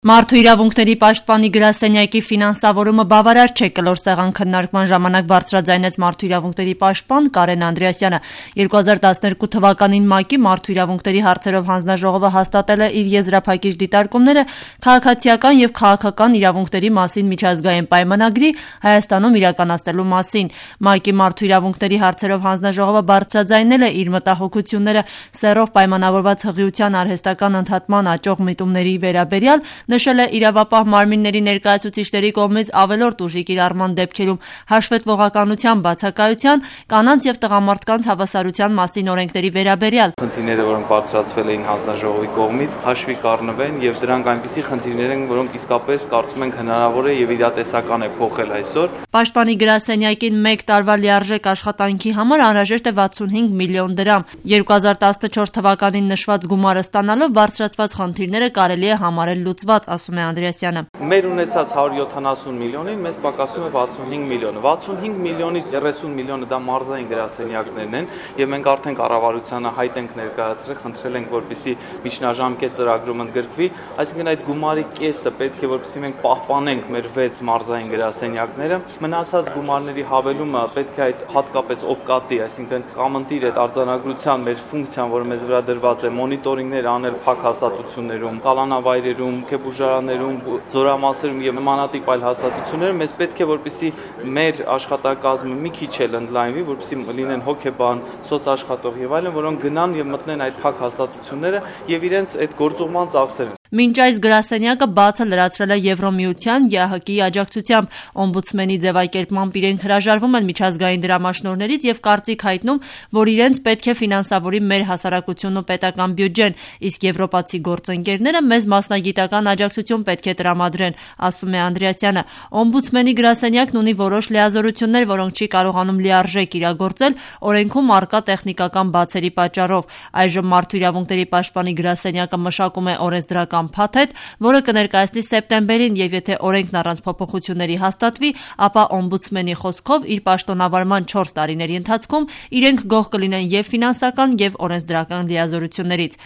Մարդու իրավունքների պաշտպանի գրասենյակի ֆինանսավորումը բավարար չէ կլոր սեղան քննարկման ժամանակ բարձրաձայնեց մարդու իրավունքների պաշտպան Կարեն Անդրեասյանը։ 2012 թվականին ՄԱԿ-ի մարդու իրավունքների հարցերով հանձնաժողովը հաստատել է իր եզրափակիչ դիտարկումները քաղաքացիական և քաղաքական իրավունքների մասին միջազգային պայմանագրի Հայաստանում իրականացնելու մասին։ ՄԱԿ-ի մարդու իրավունքների հարցերով հանձնաժողովը բարձրաձայնել է իր մտահոգությունները սեռով պայմանավորված հղիության արհեստական ընդհատման աճող միտումների վերաբերյալ, նշել է իրավապահ մարմինների ներկայացուցիչների կողմից ավելորդ ուժի կիրառման դեպքերում հաշվետվողականության բացակայության, կանանց և տղամարդկանց հավասարության մասին օրենքների վերաբերյալ։ Խնդիրները, որոնք բարձրացվել էին հանձնաժողովի կողմից, հաշվի կառնվեն եւ դրանք այնպիսի խնդիրներ են, որոնք իսկապես կարծում ենք հնարավոր է եւ իրատեսական է փոխել այսօր։ Պաշտպանի գրասենյակին 1 տարվա լիարժեք աշխատանքի համար անհրաժեշտ է 65 միլիոն դրամ։ 2014 թվականին նշված գումարը ստանալով բարձրացված խնդիրները կարելի է համարել լուծված, ասում է Անդրեասյանը։ Մեր ունեցած 170 միլիոնին մեզ պակասում է 65 միլիոնը։ 65 միլիոնից 30 միլիոնը դա մարզային գրասենյակներն են եւ մենք արդեն կառավարությանը հայտ ենք ներկայացրել, խնդրել ենք, որպեսզի միջնաժամկետ ծրագրում ընդգրկվի, այսինքն այդ գումարի կեսը պետք է որպեսզի մենք պահպանենք մեր 6 մարզային գրասենյակները։ Մնացած գումարների հավելումը պետք է այդ հատկապես օպկատի, այսինքն կամընտիր այդ արձանագրության մեր ֆունկցիան, որը մեզ վրա դրված է, մոնիտորինգներ անել փակ հաստատություններում, կալանավայրերում, քեբուժարաներում, զորամասերում եւ նմանատիպ այլ հաստատություններում մեզ պետք է որպեսզի մեր աշխատակազմը մի քիչ էլ ընդլայնվի, որպեսզի լինեն հոգեբան, սոցաշխատող եւ այլն, որոնք գնան եւ մտնեն այդ փակ հաստատությունները եւ իրենց այդ գործուղման ծախսերը։ Մինչ այս գրասենյակը բացը լրացրել է Եվրոմիության, ԵԱՀԿ-ի աջակցությամբ, օմբուդսմենի ձևակերպմամբ իրենք հրաժարվում են միջազգային դրամաշնորհներից եւ կարծիք հայտնում, որ իրենց պետք է ֆինանսավորի մեր հասարակությունն ու պետական բյուջեն, իսկ եվրոպացի գործընկերները մեզ մասնագիտական աջակցություն պետք է տրամադրեն, ասում է Անդրեասյանը։ Օմբուդսմենի գրասենյակն ունի որոշ լիազորություններ, որոնք չի կարողանում լիարժեք իրագործել օրենքում առկա տեխնիկական բացերի պատճառով։ Այժմ մարդու իրավունքների պաշտպանի գրասենյակը մշակում է օրենսդրական փաթեթ, որը կներկայացնի սեպտեմբերին եւ եթե օրենքն առանց փոփոխությունների հաստատվի, ապա օմբուդսմենի խոսքով իր պաշտոնավարման 4 տարիների ընթացքում իրենք գոհ կլինեն եւ ֆինանսական եւ օրենսդրական լիազորություններից։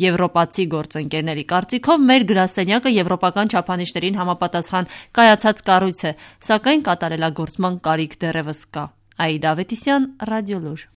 Եվրոպացի գործընկերների կարծիքով մեր գրասենյակը եվրոպական չափանիշներին համապատասխան կայացած կառույց է, սակայն կատարելագործման կարիք դեռևս կա։ Աիդա Ավետիսյան, Ռադիոլուր։